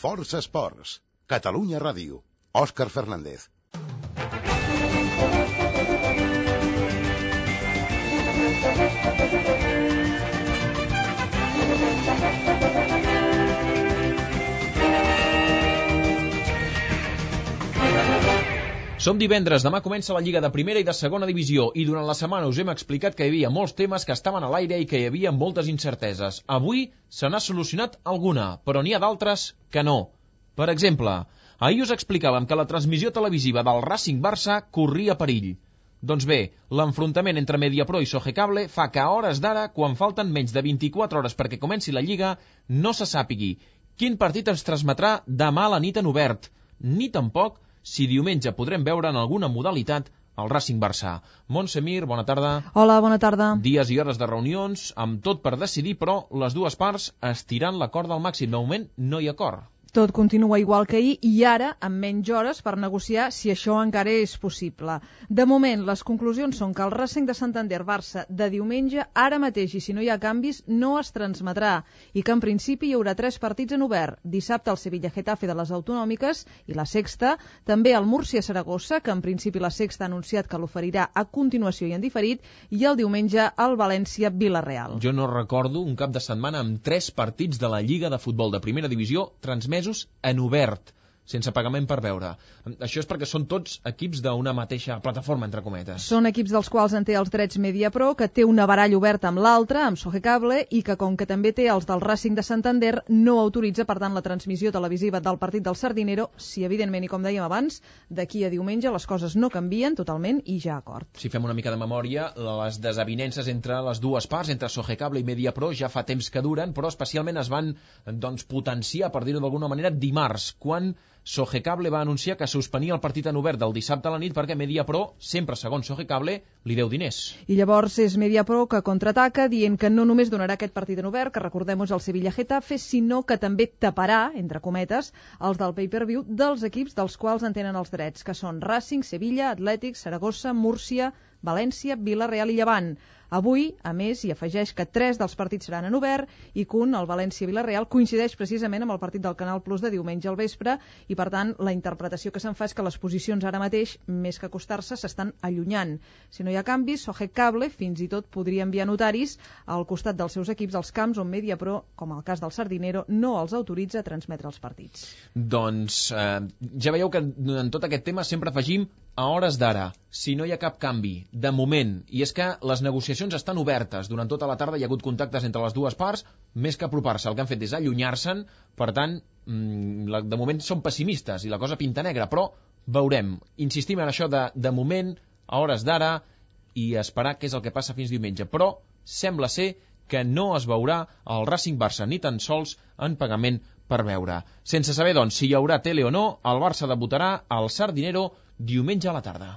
Força Esports, Catalunya Ràdio, Òscar Fernández. Som divendres, demà comença la Lliga de Primera i de Segona Divisió i durant la setmana us hem explicat que hi havia molts temes que estaven a l'aire i que hi havia moltes incerteses. Avui se n'ha solucionat alguna, però n'hi ha d'altres que no. Per exemple, ahir us explicàvem que la transmissió televisiva del Racing Barça corria perill. Doncs bé, l'enfrontament entre Mediapro i Sogecable fa que a hores d'ara, quan falten menys de 24 hores perquè comenci la Lliga, no se sàpigui quin partit es transmetrà demà a la nit en obert, ni tampoc si diumenge podrem veure en alguna modalitat el Racing Barça. Montse Mir, bona tarda. Hola, bona tarda. Dies i hores de reunions, amb tot per decidir, però les dues parts estirant la corda al màxim. De moment no hi ha acord. Tot continua igual que ahir i ara amb menys hores per negociar si això encara és possible. De moment, les conclusions són que el Racing de Santander-Barça de diumenge, ara mateix i si no hi ha canvis, no es transmetrà i que en principi hi haurà 3 partits en obert. Dissabte el Sevilla-Getafe de les autonòmiques i la Sexta, també el Múrcia-Saragossa, que en principi la Sexta ha anunciat que l'oferirà a continuació i en diferit, i el diumenge el València-Villarreal. Jo no recordo un cap de setmana amb 3 partits de la Lliga de Futbol de Primera Divisió transmesos en obert, sense pagament per veure. Això és perquè són tots equips d'una mateixa plataforma, entre cometes. Són equips dels quals en té els drets Mediapro, que té una baralla oberta amb l'altra, amb Sogecable, i que com que també té els del Racing de Santander, no autoritza, per tant, la transmissió televisiva del partit del Sardinero, si evidentment, i com dèiem abans, d'aquí a diumenge les coses no canvien totalment i ja acord. Si fem una mica de memòria, les desavinences entre les dues parts, entre Sogecable i Mediapro, ja fa temps que duren, però especialment es van potenciar, per dir-ho d'alguna manera, dimarts, quan Sogecable va anunciar que suspenia el partit en obert del dissabte a la nit perquè Mediapro, sempre segons Sogecable, li deu diners. I llavors és Mediapro que contraataca dient que no només donarà aquest partit en obert, que recordem-ho és el Sevilla-Getafe, sinó que també taparà, entre cometes, els del pay-per-view dels equips dels quals en tenen els drets, que són Racing, Sevilla, Atlètic, Saragossa, Múrcia, València, Vila-real i Llevant. Avui, a més, hi afegeix que 3 dels partits seran en obert i que el València-Villarreal, coincideix precisament amb el partit del Canal Plus de diumenge al vespre i, per tant, la interpretació que se'n fa és que les posicions ara mateix, més que acostar-se, s'estan allunyant. Si no hi ha canvis, Sogecable fins i tot podria enviar notaris al costat dels seus equips als camps on Mediapro, com el cas del Sardinero, no els autoritza a transmetre els partits. Doncs ja veieu que en tot aquest tema sempre afegim a hores d'ara, si no hi ha cap canvi, de moment, i és que les negociacions estan obertes. Durant tota la tarda hi ha hagut contactes entre les dues parts, més que apropar-se. El que han fet és allunyar-se'n, per tant, de moment són pessimistes i la cosa pinta negra, però veurem. Insistim en això de moment, a hores d'ara, i esperar què és el que passa fins diumenge. Però sembla ser que no es veurà el Racing Barça ni tan sols en pagament per veure. Sense saber, doncs, si hi haurà tele o no, el Barça debutarà al Sardinero diumenge a la tarda.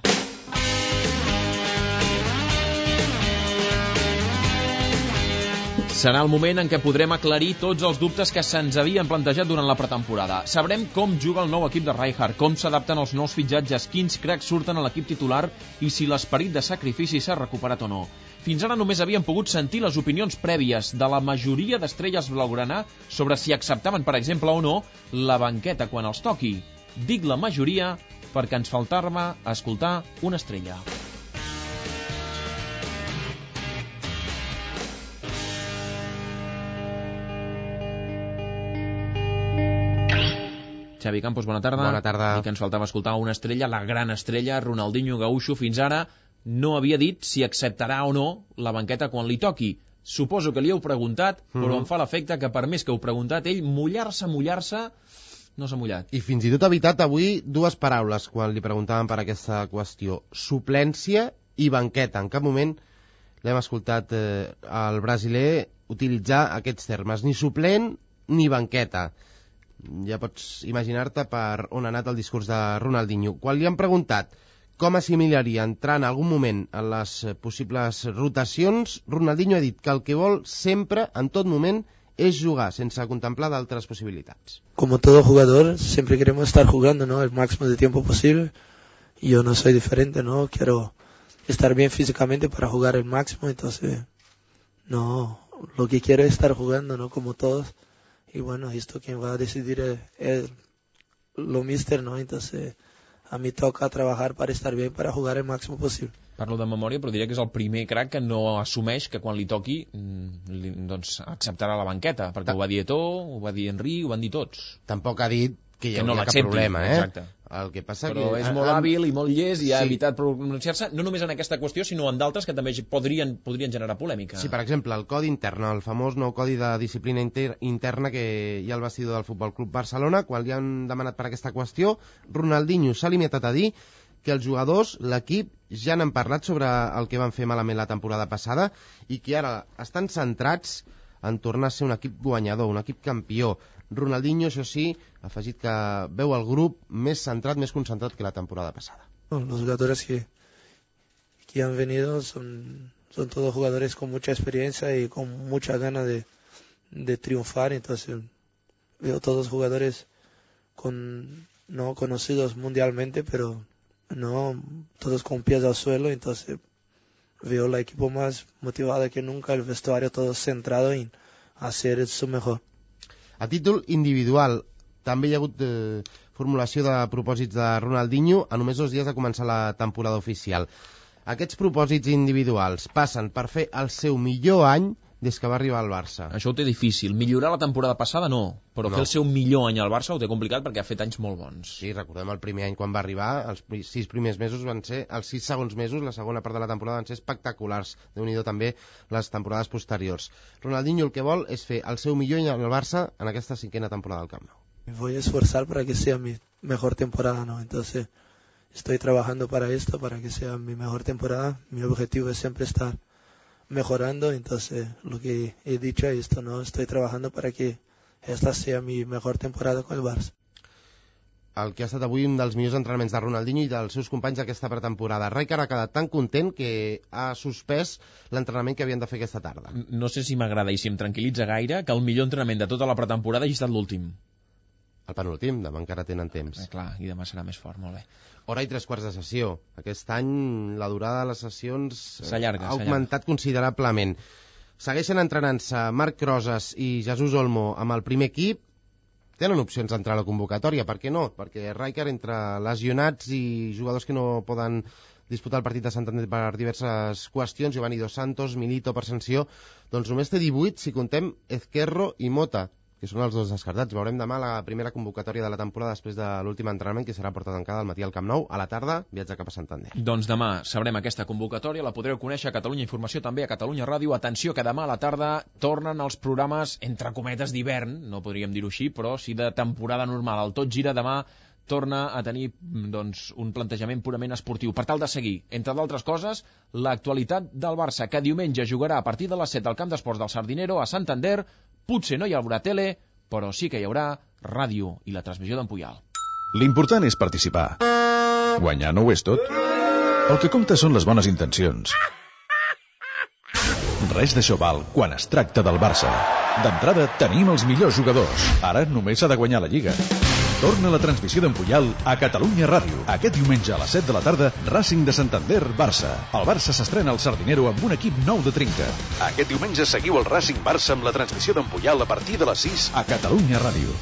Serà el moment en què podrem aclarir tots els dubtes que se'ns havien plantejat durant la pretemporada. Sabrem com juga el nou equip de Rijkaard, com s'adapten els nous fitxatges, quins cracs surten a l'equip titular i si l'esperit de sacrifici s'ha recuperat o no. Fins ara només havíem pogut sentir les opinions prèvies de la majoria d'estrelles blaugrana sobre si acceptaven, per exemple, o no, la banqueta quan els toqui. Dic la majoria perquè ens faltava escoltar una estrella. Xavi Campos, bona tarda. Bona tarda. I que ens faltava escoltar una estrella, la gran estrella, Ronaldinho Gaúcho, fins ara no havia dit si acceptarà o no la banqueta quan li toqui. Suposo que li heu preguntat, però em fa l'efecte que per més que heu preguntat, ell mullar-se, no s'ha mullat. I fins i tot ha evitat avui 2 paraules quan li preguntaven per aquesta qüestió. Suplència i banqueta. En cap moment l'hem escoltat al brasiler utilitzar aquests termes. Ni suplent ni banqueta. Ja pots imaginar-te per on ha anat el discurs de Ronaldinho. Quan li han preguntat com assimilaria entrar en algun moment en les possibles rotacions, Ronaldinho ha dit que el que vol sempre, en tot moment, es jugar sense contemplar d'altres possibilitats. Como todo jugador, siempre queremos estar jugando, ¿no? El máximo de tiempo posible. Yo no soy diferente, ¿no? Quiero estar bien físicamente para jugar el máximo, entonces, no, lo que quiero es estar jugando, ¿no? Como todos, y bueno, esto quien va a decidir es lo míster, ¿no? Entonces a mí toca trabajar para estar bien, para jugar el máximo posible. Parlo de memòria, però diria que és el primer crack que no assumeix que quan li toqui doncs acceptarà la banqueta, perquè ho va dir Eto'o, ho va dir Henry, ho van dir tots. Tampoc ha dit que hi no hauria cap problema, exacte. El que passa però que... és molt hàbil i molt llest i ha evitat pronunciar-se, no només en aquesta qüestió, sinó en d'altres que també podrien generar polèmica. Sí, per exemple, el codi intern, el famós nou codi de disciplina interna que hi ha al vestidor del Futbol Club Barcelona, quan li han demanat per aquesta qüestió, Ronaldinho s'ha limitat a dir que els jugadors, l'equip, ja n'han parlat sobre el que van fer malament la temporada passada i que ara estan centrats en tornar a ser un equip guanyador, un equip campió. Ronaldinho, això sí, ha afegit que veu el grup més centrat, més concentrat que la temporada passada. Los jugadores que han venido son todos jugadores con mucha experiencia y con mucha ganas de triunfar, entonces veo todos jugadores no conocidos mundialmente, pero no todos con pies al suelo, entonces veo el equipo más motivado que nunca, el vestuario todo centrado en hacer su mejor. A títol individual, també hi ha hagut formulació de propòsits de Ronaldinho a només 2 dies de començar la temporada oficial. Aquests propòsits individuals passen per fer el seu millor any des que va arribar al Barça. Això ho té difícil. Millorar la temporada passada no, però fer el seu millor any al Barça ho té complicat perquè ha fet anys molt bons. Sí, recordem el primer any quan va arribar, els 6 primers mesos van ser, els 6 segons mesos, la segona part de la temporada van ser espectaculars. Déu-n'hi-do també les temporades posteriors. Ronaldinho el que vol és fer el seu millor any al Barça en aquesta 5ª temporada del Camp Nou. Me voy a esforzar para que sea mi mejor temporada, ¿no? Entonces estoy trabajando para esto, para que sea mi mejor temporada. Mi objetivo es siempre estar mejorando, entonces lo que he dicho es esto, ¿no? Estoy trabajando para que esta sea mi mejor temporada con el Barça. El que ha estat avui un dels millors entrenaments de Ronaldinho i dels seus companys d'aquesta pretemporada. Rijkaard ha quedat tan content que ha suspès l'entrenament que havien de fer aquesta tarda. No sé si m'agrada i si em tranquil·litza gaire que el millor entrenament de tota la pretemporada hagi estat l'últim. El penúltim, demà encara tenen temps. Clar, i demà serà més fort, molt bé. Hora i 3/4 de sessió. Aquest any la durada de les sessions s'allarga, ha augmentat considerablement. Segueixen entrenant-se Marc Crosas i Jesús Olmo amb el primer equip. Tenen opcions d'entrar a la convocatòria, per què no? Perquè Rijkaard, entre lesionats i jugadors que no poden disputar el partit de Santander per diverses qüestions, Giovanni Dos Santos, Milito per sanció, doncs només té 18 si contem Ezquerro i Mota, que són els dos descartats. Veurem demà la primera convocatòria de la temporada després de l'últim entrenament, que serà portat tancada al matí al Camp Nou. A la tarda, viatge cap a Santander. Doncs demà sabrem aquesta convocatòria, la podreu conèixer a Catalunya Informació, també a Catalunya Ràdio. Atenció, que demà a la tarda tornen els programes, entre cometes, d'hivern, no podríem dir-ho així, però sí de temporada normal. El Tot Gira demà torna a tenir doncs, un plantejament purament esportiu, per tal de seguir, entre d'altres coses, l'actualitat del Barça, que diumenge jugarà a partir de les 7 al Camp d'Esports del Sardinero a Santander. Potser no hi haurà tele, però sí que hi haurà ràdio i la transmissió d'en Puyal. L'important és participar. Guanyar no ho és tot. El que compta són les bones intencions. Res d'això val quan es tracta del Barça. D'entrada tenim els millors jugadors. Ara només s'ha de guanyar la Lliga. Torna la transmissió d'en Puyal a Catalunya Ràdio. Aquest diumenge a les 7 de la tarda, Racing de Santander, Barça. El Barça s'estrena al Sardinero amb un equip nou de trinca. Aquest diumenge seguiu el Racing Barça amb la transmissió d'en Puyal a partir de les 6 a Catalunya Ràdio.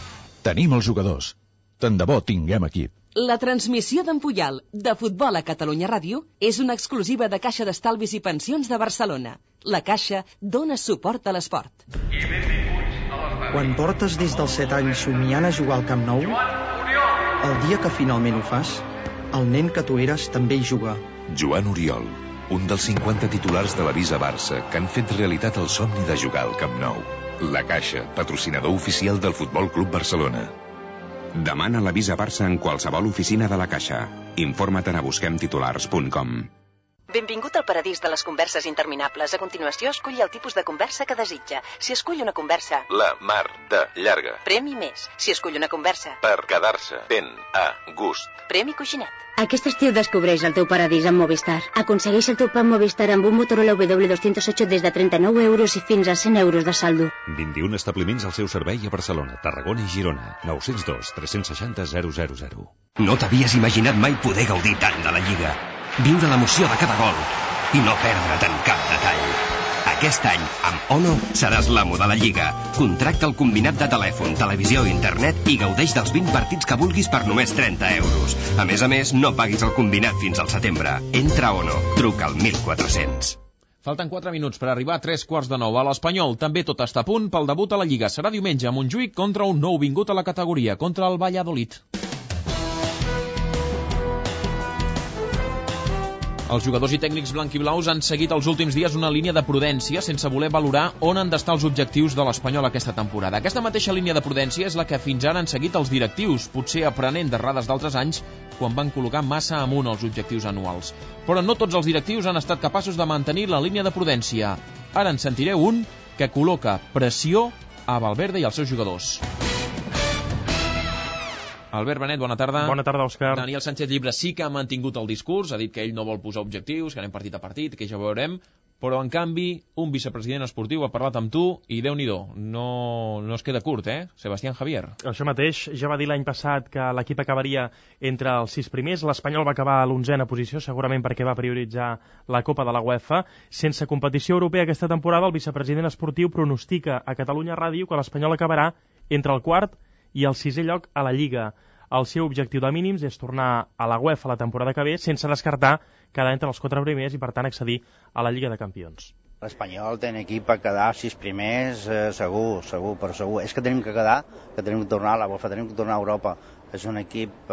Tenim els jugadors. Tant de bo tinguem equip. La transmissió d'en Puyal de futbol a Catalunya Ràdio és una exclusiva de Caixa d'Estalvis i Pensions de Barcelona. La Caixa dona suport a l'esport. Quan portes des dels 7 anys somiant a jugar al Camp Nou, el dia que finalment ho fas, el nen que tu eres també hi juga. Joan Oriol, un dels 50 titulars de la Visa Barça que han fet realitat el somni de jugar al Camp Nou. La Caixa, patrocinador oficial del Futbol Club Barcelona. Demana la Visa Barça en qualsevol oficina de la Caixa. Informa't a busquemtitulars.com. Benvingut al paradís de les converses interminables. A continuació, esculli el tipus de conversa que desitja. Si escull una conversa... La mar de llarga. Premi més. Si escull una conversa... Per quedar-se ben a gust. Premi coixinet. Aquest estiu descobreix el teu paradís amb Movistar. Aconsegueix el teu pack Movistar amb un Motorola W208 des de 39 euros i fins a 100 euros de saldo. 21 establiments al seu servei a Barcelona, Tarragona i Girona. 902 360 000. No t'havies imaginat mai poder gaudir tant de la Lliga. Viure l'emoció de cada gol i no perdre't en cap detall. Aquest any, amb Ono, seràs l'amo de la Lliga. Contracta el combinat de telèfon, televisió i internet i gaudeix dels 20 partits que vulguis per només 30 euros. A més, no paguis el combinat fins al setembre. Entra a Ono. Truca al 1400. Falten 4 minuts per arribar a 8:45 a l'Espanyol. També tot està a punt pel debut a la Lliga. Serà diumenge a Montjuïc contra un nou vingut a la categoria, contra el Valladolid. Els jugadors i tècnics blanquiblaus han seguit els últims dies una línia de prudència sense voler valorar on han d'estar els objectius de l'Espanyol aquesta temporada. Aquesta mateixa línia de prudència és la que fins ara han seguit els directius, potser aprenent d'errades d'altres anys quan van col·locar massa amunt els objectius anuals. Però no tots els directius han estat capaços de mantenir la línia de prudència. Ara en sentireu un que col·loca pressió a Valverde i als seus jugadors. Albert Benet, bona tarda. Bona tarda, Òscar. Daniel Sánchez Llibre sí que ha mantingut el discurs, ha dit que ell no vol posar objectius, que anem partit a partit, que ja veurem, però en canvi un vicepresident esportiu ha parlat amb tu i Déu-n'hi-do, no es queda curt, Sebastián Javier. Això mateix, ja va dir l'any passat que l'equip acabaria entre els 6 primers, l'Espanyol va acabar a l'11a posició, segurament perquè va prioritzar la Copa de la UEFA. Sense competició europea aquesta temporada, el vicepresident esportiu pronostica a Catalunya Ràdio que l'Espanyol acabarà entre el 4 i el 6è lloc a la Lliga. El seu objectiu de mínims és tornar a la UEFA la temporada que ve sense descartar quedar entre els 4 primers i, per tant, accedir a la Lliga de Campions. L'Espanyol té un equip a quedar 6 primers, segur. És que tenim que quedar, que tenim que tornar a la UEFA, tenim que tornar a Europa. És un equip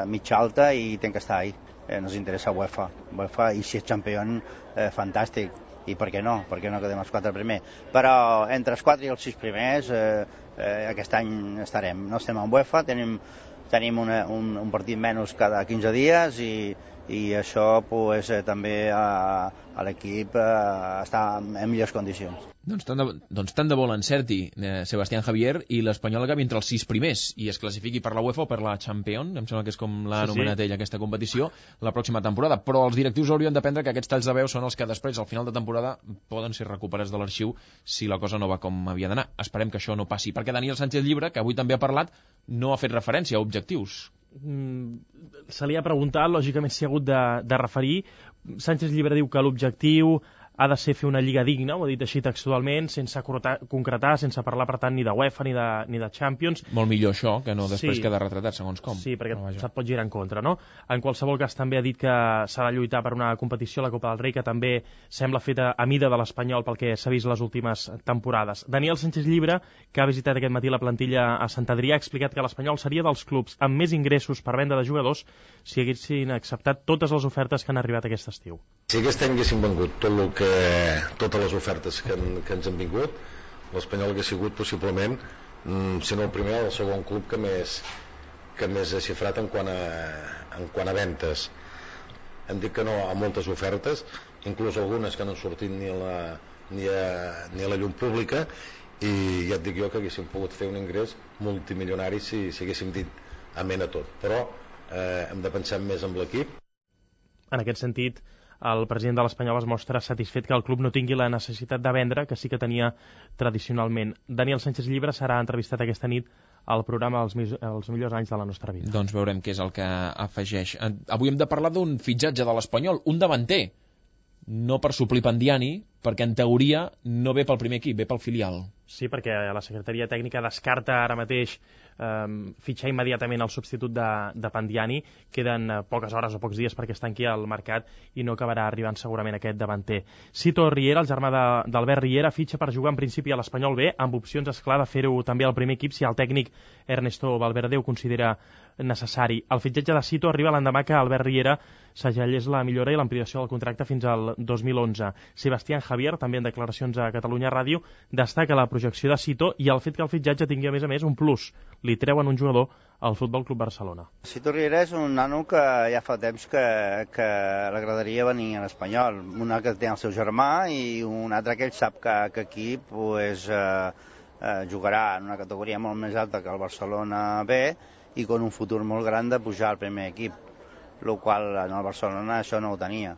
mig alta i tem que estar ahí. Nos interessa UEFA i si és campió, fantàstic. I per què no? Per què no quedem els 4 primers? Però entre els 4 i els 6 primers aquest any estarem. No estem en UEFA, tenim un partit menys cada 15 dies i això pues, també a l'equip està en millors condicions. Doncs tant de bo l'encerti Sebastián Javier i l'Espanyol acabi entre els 6 primers i es classifiqui per la UEFA o per la Champions, em sembla que és com l'ha anomenat ell aquesta competició, la pròxima temporada. Però els directius haurien d'aprendre que aquests talls de veu són els que després, al final de temporada, poden ser recuperats de l'arxiu si la cosa no va com havia d'anar. Esperem que això no passi, perquè Daniel Sánchez Llibre, que avui també ha parlat, no ha fet referència a objectius. Se li ha preguntat, lògicament s'hi ha hagut de referir. Sánchez Llibre diu que l'objectiu ha de ser fer una lliga digna, ho ha dit així textualment, sense concretar, sense parlar, per tant, ni de UEFA ni de Champions. Molt millor això, que no després queda retratat, segons com. Sí, perquè se't pot girar en contra, no? En qualsevol cas, també ha dit que s'ha de lluitar per una competició, la Copa del Rei, que també sembla feta a mida de l'Espanyol pel que s'ha vist les últimes temporades. Daniel Sánchez Llibre, que ha visitat aquest matí la plantilla a Sant Adrià, ha explicat que l'Espanyol seria dels clubs amb més ingressos per venda de jugadors si haguessin acceptat totes les ofertes que han arribat aquest estiu. Si aquest any haguéssim vengut totes les ofertes que ens han vingut, l'Espanyol hauria sigut possiblement, si no el primer, el segon club que més ha xifrat en quant a ventes. Hem dit que no a moltes ofertes, inclús algunes que no han sortit ni a la llum pública, i ja et dic jo que haguéssim pogut fer un ingrés multimilionari si haguéssim dit amén a tot. Però hem de pensar més en l'equip. En aquest sentit, el president de l'Espanyol es mostra satisfet que el club no tingui la necessitat de vendre, que sí que tenia tradicionalment. Daniel Sánchez Llibre serà entrevistat aquesta nit al programa Els millors anys de la nostra vida. Doncs veurem què és el que afegeix. Avui hem de parlar d'un fitxatge de l'Espanyol, un davanter, no per suplir Pandiani, perquè en teoria no ve pel primer equip, ve pel filial. Sí, perquè la secretaria tècnica descarta ara mateix fitxar immediatament el substitut de Pandiani. Queden poques hores o pocs dies perquè es tanqui el mercat i no acabarà arribant segurament aquest davanter. Sito Riera, el germà d'Albert Riera, fitxa per jugar en principi a l'Espanyol B, amb opcions, esclar, de fer-ho també al primer equip si el tècnic Ernesto Valverde ho considera necessari. El fitxatge de Sito arriba l'endemà que Albert Riera segellés la millora i l'ampliació del contracte fins al 2011. Sebastián Javier, també en declaracions a Catalunya Ràdio, destaca la projecció de Sito i el fet que el fitxatge tingui a més un plus. Li treuen un jugador al Futbol Club Barcelona. Sito Riera és un nano que ja fa temps que l'agradaria venir a l'Espanyol. Un que té el seu germà i un altre que ell sap que aquí jugarà en una categoria molt més alta que el Barcelona B i con un futur molt gran de pujar al primer equip, el qual en el Barcelona això no ho tenia.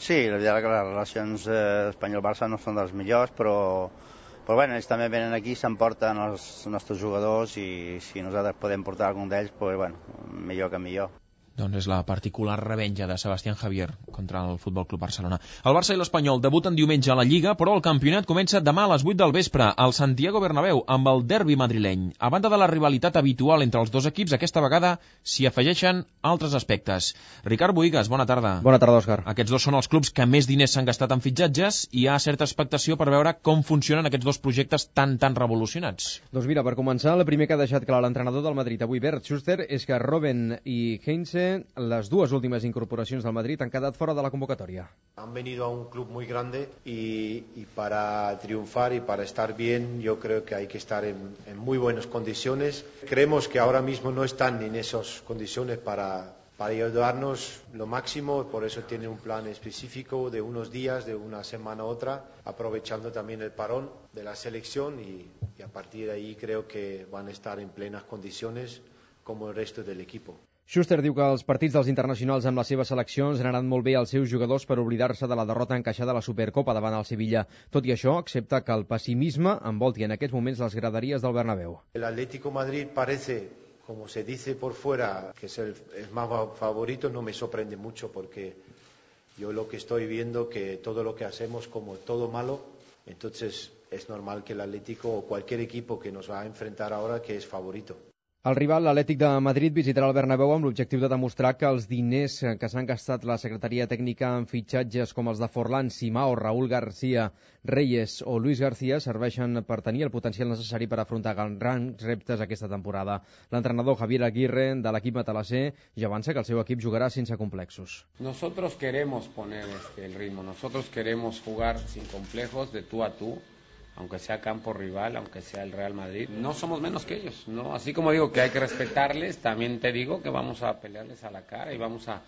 Sí, la veritat és que les relacions Espanyol-Barça no són dels millors, però bueno, ells també venen aquí, s'emporten els nostres jugadors i si nosaltres podem portar algun d'ells, doncs, bueno, millor que millor. Doncs és la particular revenja de Sebastián Javier contra el Futbol Club Barcelona. El Barça i l'Espanyol debuten diumenge a la Lliga, però el campionat comença demà a les 8 del vespre al Santiago Bernabéu amb el derbi madrileny. A banda de la rivalitat habitual entre els dos equips, aquesta vegada s'hi afegeixen altres aspectes. Ricard Bohigas, bona tarda. Bona tarda, Òscar. Aquests dos són els clubs que més diners s'han gastat en fitxatges i hi ha certa expectació per veure com funcionen aquests dos projectes tan revolucionats. Doncs mira, per començar, el primer que ha deixat clar l'entrenador del Madrid avui, Bert Schuster, és que Robben i Heinze, les dues últimes incorporacions del Madrid, han quedat fora de la convocatoria. Han venido a un club muy grande y para triunfar y para estar bien yo creo que hay que estar en muy buenas condiciones. Creemos que ahora mismo no están en esas condiciones para ayudarnos lo máximo, por eso tienen un plan específico de unos días, de una semana a otra, aprovechando también el parón de la selección y a partir de ahí creo que van a estar en plenas condiciones como el resto del equipo. Schuster diu que els partits dels internacionals amb les seves seleccions han anat molt bé als seus jugadors per oblidar-se de la derrota encaixada a la Supercopa davant el Sevilla. Tot i això, accepta que el pessimisme envolti en aquests moments les graderies del Bernabéu. El Atlético Madrid parece, como se dice por fuera, que es el más favorito, no me sorprende mucho porque yo lo que estoy viendo que todo lo que hacemos como todo malo, entonces es normal que el Atlético o cualquier equipo que nos va a enfrentar ahora que es favorito. El rival, l'Atlètic de Madrid, visitarà el Bernabéu amb l'objectiu de demostrar que els diners que s'han gastat la Secretaria Tècnica en fitxatges com els de Forlán, Simao, Raúl García, Reyes o Luis García serveixen per tenir el potencial necessari per afrontar grans reptes aquesta temporada. L'entrenador Javier Aguirre, de l'equip matalasser, ja avança que el seu equip jugarà sense complexos. Nosotros queremos poner el ritmo, nosotros queremos jugar sin complejos, de tú a tú, aunque sea campo rival, aunque sea el Real Madrid, no somos menos que ellos, ¿no? Así como digo que hay que respetarles, también te digo que vamos a pelearles a la cara y vamos a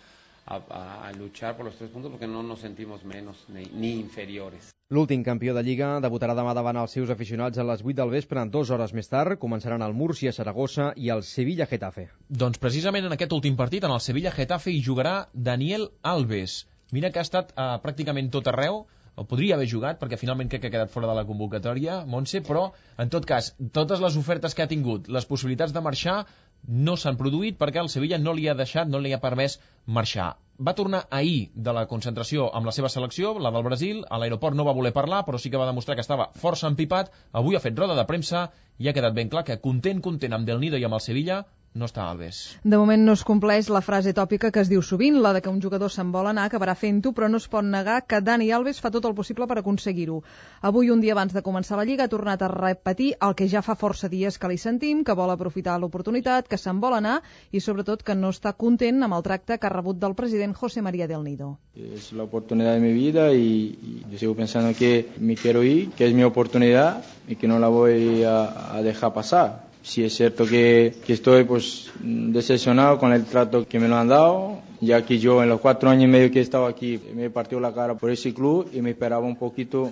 luchar por los 3 puntos porque no nos sentimos menos ni inferiores. L'últim campió de Lliga debutarà demà davant els seus aficionats a les 8 del vespre. 2 hores més tard començaran el Múrcia-Saragossa i el Sevilla-Getafe. Doncs precisament en aquest últim partit, en el Sevilla-Getafe, hi jugarà Daniel Alves. Mira que ha estat pràcticament tot arreu, o podria haver jugat, perquè finalment crec que ha quedat fora de la convocatòria, Montse, però, en tot cas, totes les ofertes que ha tingut, les possibilitats de marxar, no s'han produït perquè el Sevilla no li ha deixat, no li ha permès marxar. Va tornar ahir de la concentració amb la seva selecció, la del Brasil, a l'aeroport no va voler parlar, però sí que va demostrar que estava força empipat, avui ha fet roda de premsa i ha quedat ben clar que content amb Del Nido i amb el Sevilla, no està Alves. De moment no es compleix la frase tòpica que es diu sovint, la de que un jugador se'n vol anar, acabarà fent-ho, però no es pot negar que Dani Alves fa tot el possible per aconseguir-ho. Avui, un dia abans de començar la Lliga, ha tornat a repetir el que ja fa força dies que li sentim, que vol aprofitar l'oportunitat, que se'n vol anar i, sobretot, que no està content amb el tracte que ha rebut del president José María del Nido. Es la oportunidad de mi vida y yo sigo pensando que me quiero ir, que es mi oportunidad y que no la voy a dejar pasar. Sí es cierto que estoy decepcionado con el trato que me lo han dado, ya que yo en los 4 años y medio que he estado aquí me he partido la cara por ese club y me esperaba un poquito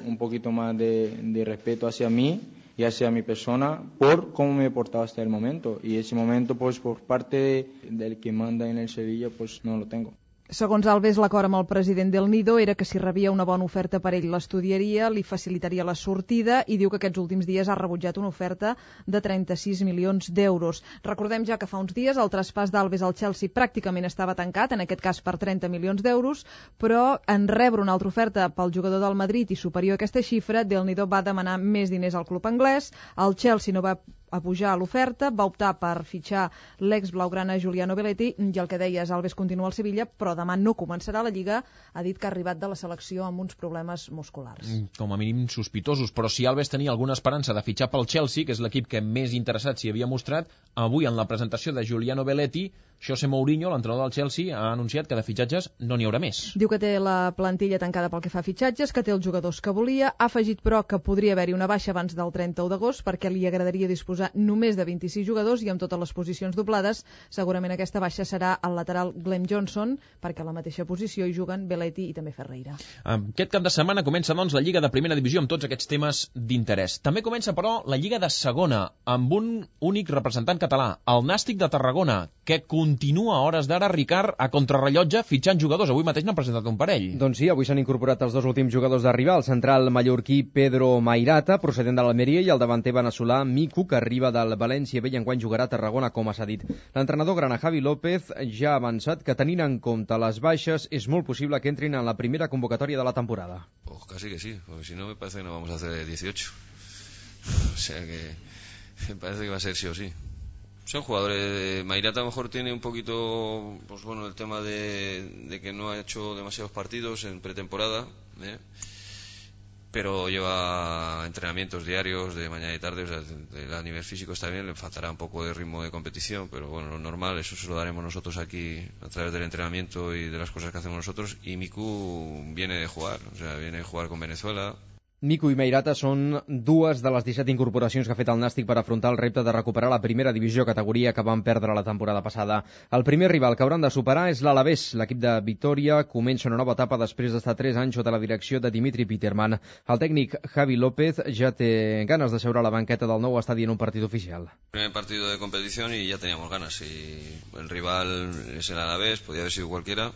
más de respeto hacia mí y hacia mi persona por cómo me he portado hasta el momento, y ese momento por parte del que manda en el Sevilla no lo tengo. Segons Alves, l'acord amb el president del Nido era que si rebia una bona oferta per ell l'estudiaria, li facilitaria la sortida, i diu que aquests últims dies ha rebutjat una oferta de 36 milions d'euros. Recordem ja que fa uns dies el traspàs d'Alves al Chelsea pràcticament estava tancat, en aquest cas per 30 milions d'euros, però en rebre una altra oferta pel jugador del Madrid i superior a aquesta xifra, del Nido va demanar més diners al club anglès, el Chelsea no va a pujar l'oferta, va optar per fitxar l'ex blaugrana Giuliano Belletti, i el que deies, Alves continua al Sevilla, però demà no començarà la Lliga, ha dit que ha arribat de la selecció amb uns problemes musculars. Com a mínim sospitosos, però si Alves tenia alguna esperança de fitxar pel Chelsea, que és l'equip que més interessat s'hi havia mostrat, avui en la presentació de Giuliano Belletti, José Mourinho, l'entrenador del Chelsea, ha anunciat que de fitxatges no n'hi haurà més. Diu que té la plantilla tancada pel que fa a fitxatges, que té els jugadors que volia, ha afegit però que podria haver-hi una baixa abans del 31 d'agost perquè li agradaria disposar només de 26 jugadors i amb totes les posicions doblades. Segurament aquesta baixa serà el lateral Glenn Johnson, perquè a la mateixa posició hi juguen Belletti i també Ferreira. Aquest cap de setmana comença doncs la Lliga de Primera Divisió amb tots aquests temes d'interès. També comença però la Lliga de Segona amb un únic representant català, el Nàstic de Tarragona, que continua a hores d'ara, Ricard, a contrarrellotge fitxant jugadors. Avui mateix n'han presentat un parell. Doncs sí, avui s'han incorporat els dos últims jugadors d'arribar, el central mallorquí Pedro Mairata, procedent de l'Almeria, i el davanter veneçolà Miku, que arriba del València B i enguany jugarà a Tarragona, com s'ha dit. L'entrenador grana Javi López ja ha avançat que, tenint en compte les baixes, és molt possible que entrin en la primera convocatòria de la temporada. Pues casi que sí, porque si no me parece que no vamos a hacer 18. O sea que me parece que va a ser sí o sí. Son jugadores. Mairata a lo mejor tiene un poquito, pues bueno, el tema de que no ha hecho demasiados partidos en pretemporada, pero lleva entrenamientos diarios de mañana y tarde, o sea, a nivel físico está bien, le faltará un poco de ritmo de competición, pero bueno, lo normal, eso se lo daremos nosotros aquí a través del entrenamiento y de las cosas que hacemos nosotros. Y Miku viene de jugar, o sea, viene de jugar con Venezuela. Miku i Mairata són dues de les 17 incorporacions que ha fet el Nàstic per afrontar el repte de recuperar la primera divisió, categoria que van perdre la temporada passada. El primer rival que hauran de superar és l'Alavés. L'equip de Vitòria comença una nova etapa després d'estar 3 anys sota la direcció de Dimitri Peterman. El tècnic Javi López ja té ganes de seure a la banqueta del nou estadi en un partit oficial. Primer partido de competición y ya teníamos ganas. Y el rival es el Alavés, podía haber sido cualquiera.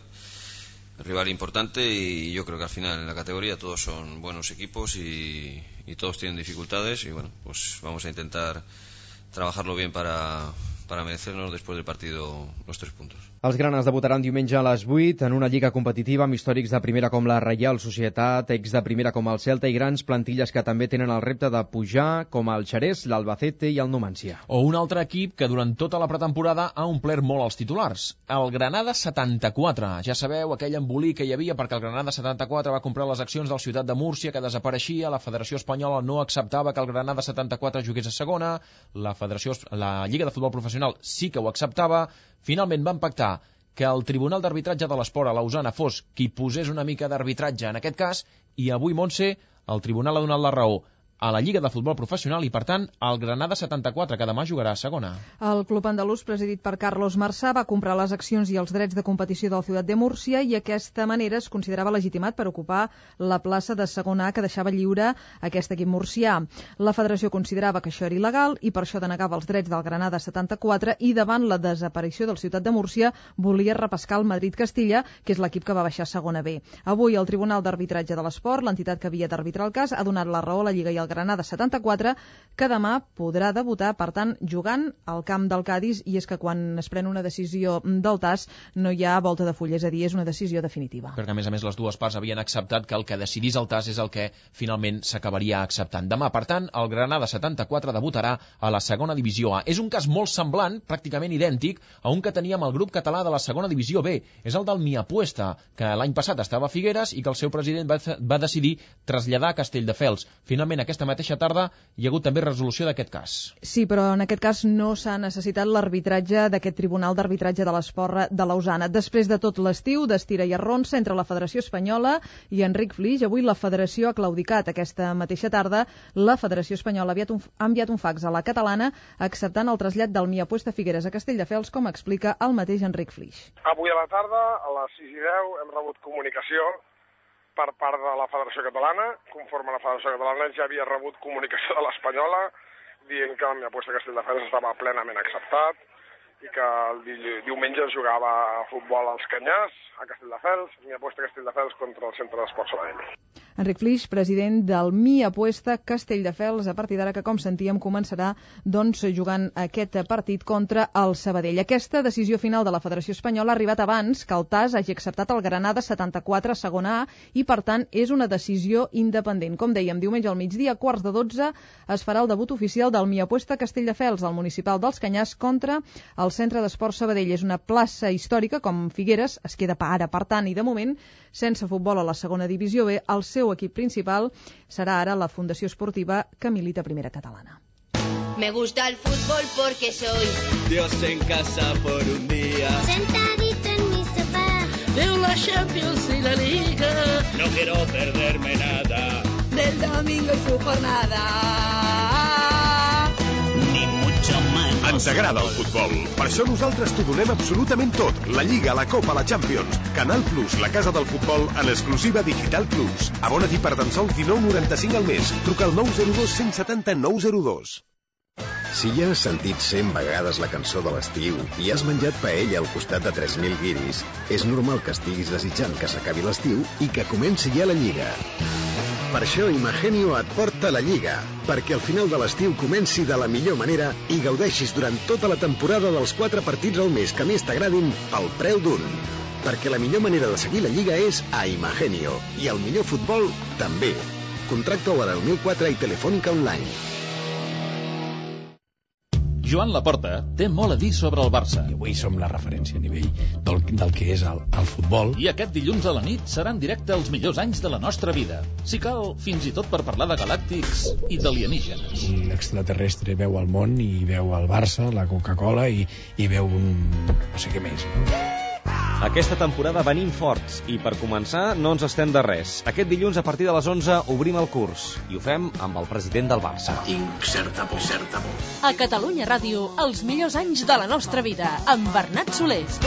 El rival importante, y yo creo que al final en la categoría todos son buenos equipos y todos tienen dificultades, y bueno, pues vamos a intentar trabajarlo bien para merecernos después del partido los 3 puntos. Els granes debutaran diumenge a les 8 en una lliga competitiva amb històrics de primera com la Reial Societat, ex de primera com el Celta i grans plantilles que també tenen el repte de pujar, com el Xerès, l'Albacete i el Numancia. O un altre equip que durant tota la pretemporada ha omplert molt els titulars, el Granada 74. Ja sabeu, aquell embolic que hi havia perquè el Granada 74 va comprar les accions del Ciutat de Múrcia, que desapareixia, la Federació Espanyola no acceptava que el Granada 74 jugués a segona, la Lliga de Futbol Professional sí que ho acceptava. Finalment van pactar que el Tribunal d'Arbitratge de l'Esport a Lausana fos qui posés una mica d'arbitratge en aquest cas, i avui, Montse, el Tribunal ha donat la raó a la Lliga de Futbol Professional i, per tant, el Granada 74, que demà jugarà a segona. El club andalús, presidit per Carlos Marsà, va comprar les accions i els drets de competició del Ciutat de Múrcia i aquesta manera es considerava legitimat per ocupar la plaça de segona A que deixava lliure aquest equip murcià. La federació considerava que això era il·legal i per això denegava els drets del Granada 74 i davant la desaparició del Ciutat de Múrcia volia repescar el Madrid-Castilla, que és l'equip que va baixar a segona B. Avui el Tribunal d'Arbitratge de l'Esport, l'entitat que havia d'arbitrar el cas, ha donat la raó a la Lliga i al Granada 74, que demà podrà debutar, per tant, jugant al camp del Cádiz, i és que quan es pren una decisió del TAS no hi ha volta de full, és a dir, és una decisió definitiva. Perquè, a més, les dues parts havien acceptat que el que decidís el TAS és el que finalment s'acabaria acceptant. Demà, per tant, el Granada 74 debutarà a la segona divisió A. És un cas molt semblant, pràcticament idèntic, a un que teníem al grup català de la segona divisió B. És el del Miapuesta, que l'any passat estava a Figueres i que el seu president va decidir traslladar a Castelldefels. Finalment, aquesta mateixa tarda hi ha hagut també resolució d'aquest cas. Sí, però en aquest cas no s'ha necessitat l'arbitratge d'aquest Tribunal d'Arbitratge de l'Esport de Lausana. Després de tot l'estiu d'estira i arronsa entre la Federació Espanyola i Enric Flix, avui la Federació ha claudicat. Aquesta mateixa tarda la Federació Espanyola ha enviat un fax a la catalana acceptant el trasllat del Miapuesta Figueres a Castelldefels, com explica el mateix Enric Flix. Avui a la tarda, a les 6:10, hem rebut comunicació per part de la Federació Catalana. Conforme la Federació Catalana ja havia rebut comunicació de l'Espanyola dient que el Miapuesta Castelldefels estava plenament acceptat i que el diumenge es jugava a futbol als Canyars, a Castelldefels, Miapuesta Castelldefels contra el Centre d'Esports Sabadell. Enric Flix, president del Miapuesta Castelldefels, a partir d'ara que, com sentíem, començarà jugant aquest partit contra el Sabadell. Aquesta decisió final de la Federació Espanyola ha arribat abans que el TAS hagi acceptat el Granada 74 segona A i, per tant, és una decisió independent. Com dèiem, diumenge al migdia, a 11:15, es farà el debut oficial del Miapuesta Castelldefels, al municipal dels Canyars, contra el Centre d'Esports Sabadell. És una plaça històrica, com Figueres, es queda ara, per tant, i de moment, sense futbol a la segona divisió B, el seu equip principal serà ara la Fundació Esportiva que milita a Primera Catalana. Me gusta el fútbol porque soy Dios en casa por un día, sentadito en mi sofá, veo la Champions y la Liga, no quiero perderme nada del domingo y su jornada. Ens agrada el futbol. Per això nosaltres t'ho donem absolutament tot. La Lliga, la Copa, la Champions. Canal Plus, la casa del futbol, en exclusiva Digital Plus. Abona't-hi per tan sols 19,95 al mes. Truca al 902 170 902. Si ja has sentit 100 vegades la cançó de l'estiu i has menjat paella al costat de 3.000 guiris, és normal que estiguis desitjant que s'acabi l'estiu i que comenci ja la Lliga. Per això Imagenio et porta la Lliga, perquè al final de l'estiu comenci de la millor manera i gaudeixis durant tota la temporada dels 4 partits al mes que més t'agradin pel preu d'un. Perquè la millor manera de seguir la Lliga és a Imagenio, i el millor futbol també. Contracta-ho a 1004 i Telefònica Online. Joan Laporta té molt a dir sobre el Barça. I avui som la referència a nivell del que és el futbol. I aquest dilluns a la nit serà en directe els millors anys de la nostra vida. Si cal, fins i tot per parlar de galàctics i d'alienígenes. Un extraterrestre veu el món i veu el Barça, la Coca-Cola i veu no sé què més. Aquesta temporada venim forts i per començar no ens estem de res. Aquest dilluns a partir de les 11 obrim el curs i ho fem amb el president del Barça. Tinc certa por. A Catalunya Ràdio, els millors anys de la nostra vida, amb Bernat Solés.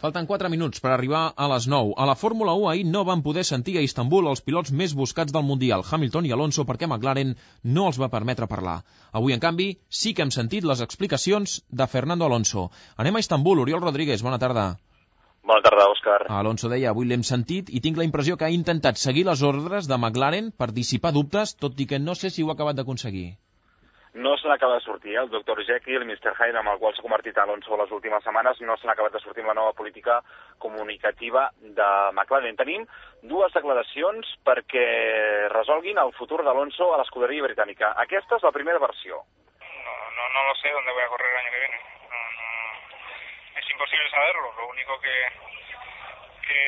Falten 4 minuts per arribar a les 9. A la Fórmula 1 ahir no van poder sentir a Istanbul els pilots més buscats del Mundial, Hamilton i Alonso, perquè McLaren no els va permetre parlar. Avui, en canvi, sí que hem sentit les explicacions de Fernando Alonso. Anem a Istanbul. Oriol Rodríguez, bona tarda. Bona tarda, Òscar. Alonso deia, avui l'hem sentit i tinc la impressió que ha intentat seguir les ordres de McLaren per dissipar dubtes, tot i que no sé si ho ha acabat d'aconseguir. No se n'acaba de sortir, el Dr. Jekyll, Mr. Hyde, amb el qual s'ha convertit Alonso les últimes setmanes, no se n'ha acabat de sortir amb la nova política comunicativa de McLaren. Tenim dues declaracions perquè resolguin el futur d'Alonso a l'escuderia britànica. Aquesta es la primera versió. No lo sé dónde voy a correr el año que viene. Es imposible saberlo. Lo único que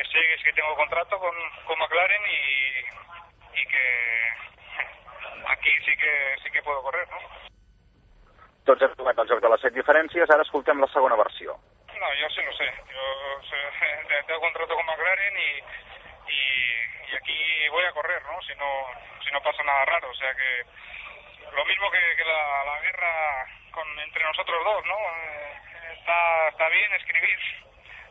sé es que tengo contrato con McLaren y que aquí sí que puedo correr, ¿no? Tots hem tocat el joc de les 7 diferències, ara escoltem la segona versió. No, yo sí lo sé. Tengo contrato con McLaren y aquí voy a correr, ¿no? Si no pasa nada raro. O sea que lo mismo que la guerra entre nosotros dos, ¿no? Está bien escribir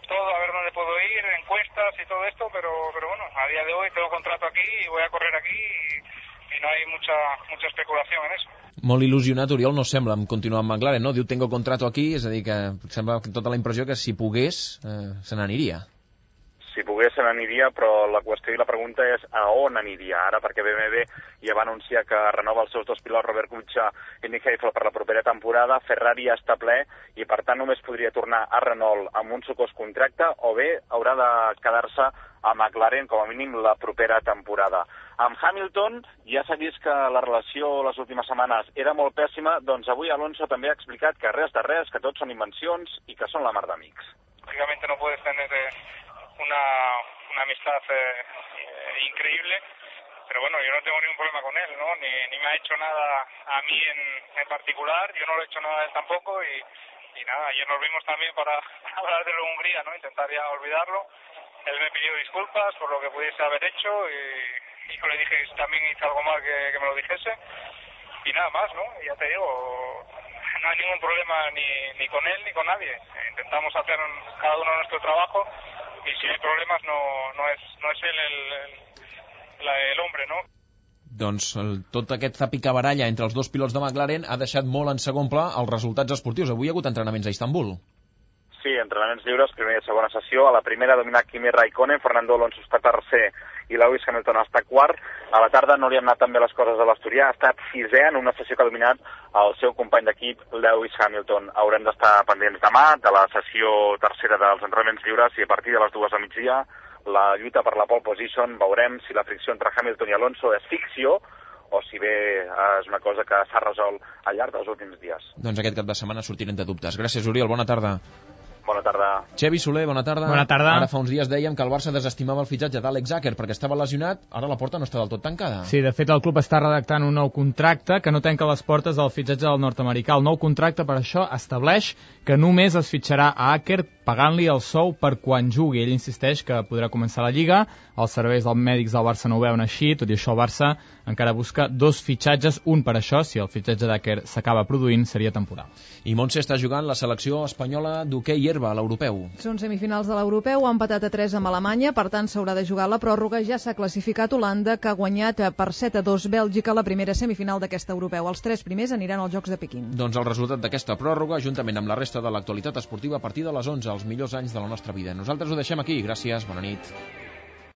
todo, a ver dónde puedo ir, encuestas y todo esto, pero bueno, a día de hoy tengo contrato aquí y voy a correr aquí y no hay mucha especulación en eso. Molt il·lusionat, Oriol, no sembla, amb continuar amb McLaren, no? Diu, tengo contrato aquí, és a dir, que sembla tota la impressió que si pogués, se n'aniria. Si pogués se n'aniria, però la qüestió i la pregunta és a on aniria ara, perquè BMW ja va anunciar que renova els seus dos pilots, Robert Kubica i Nick Heidfeld, per la propera temporada. Ferrari ja està ple i, per tant, només podria tornar a Renault amb un sucós contracte o bé haurà de quedar-se a McLaren com a mínim la propera temporada. Amb Hamilton ja s'ha vist que la relació les últimes setmanes era molt pèssima, doncs avui Alonso també ha explicat que res de res, que tot són invencions i que són la mar d'amics. Lógicamente no puedes tener una amistad increíble, pero bueno, yo no tengo ningún problema con él, ¿no? Ni me ha hecho nada a mí en particular, yo no le he hecho nada a él tampoco y nada, ayer nos vimos también para hablar de la Hungría, ¿no? Intentar ya olvidarlo. Él me pidió disculpas por lo que pudiese haber hecho y yo le dije que también hice algo mal que me lo dijese y nada más, ¿no? Y ya te digo, no hay ningún problema ni con él ni con nadie. Intentamos hacer cada uno nuestro trabajo y si hay problemas no es él el hombre, ¿no? Doncs tot aquest zapicabaralla entre els dos pilots de McLaren ha deixat molt en segon pla els resultats esportius. Avui hi ha hagut entrenaments a Istanbul. Sí, entrenaments lliures, primera i segona sessió. A la primera ha dominat Kimi Raikkonen, Fernando Alonso està tercer i Lewis Hamilton està quart. A la tarda no li han anat tan bé les coses a l'Asturià, ha estat sisè en una sessió que ha dominat el seu company d'equip, Lewis Hamilton. Haurem d'estar pendents demà de la sessió tercera dels entrenaments lliures i a partir de les 2 del migdia la lluita per la pole position. Veurem si la fricció entre Hamilton i Alonso és ficció o si bé és una cosa que s'ha resolt al llarg dels últims dies. Doncs aquest cap de setmana sortirem de dubtes. Gràcies, Oriol, bona tarda. Bona tarda. Xevi Soler, bona tarda. Bona tarda. Ara fa uns dies dèiem que el Barça desestimava el fitxatge d'Àlex Zàquer perquè estava lesionat, ara la porta no està del tot tancada. Sí, de fet el club està redactant un nou contracte que no tanca les portes del fitxatge del nord-americà. El nou contracte, per això, estableix que només es fitxarà a Àquer pagant-li el sou per quan jugui. Ell insisteix que podrà començar la Lliga, els serveis dels mèdics del Barça no ho veuen així, tot i això el Barça encara busca 2 fitxatges, un per això, si el fitxatge d'Àquer s'acaba produint, seria temporal. I Montse està jugant la selecció espanyola d'hoquei l'herba a l'europeu. Són semifinals de l'europeu, ha empatat a 3 amb Alemanya, per tant s'haurà de jugar la pròrroga. Ja s'ha classificat Holanda, que ha guanyat per 7-2 Bèlgica la primera semifinal d'aquest europeu. Els 3 primers aniran als Jocs de Pequín. Doncs el resultat d'aquesta pròrroga, juntament amb la resta de l'actualitat esportiva, a partir de les 11, els millors anys de la nostra vida. Nosaltres ho deixem aquí. Gràcies, bona nit.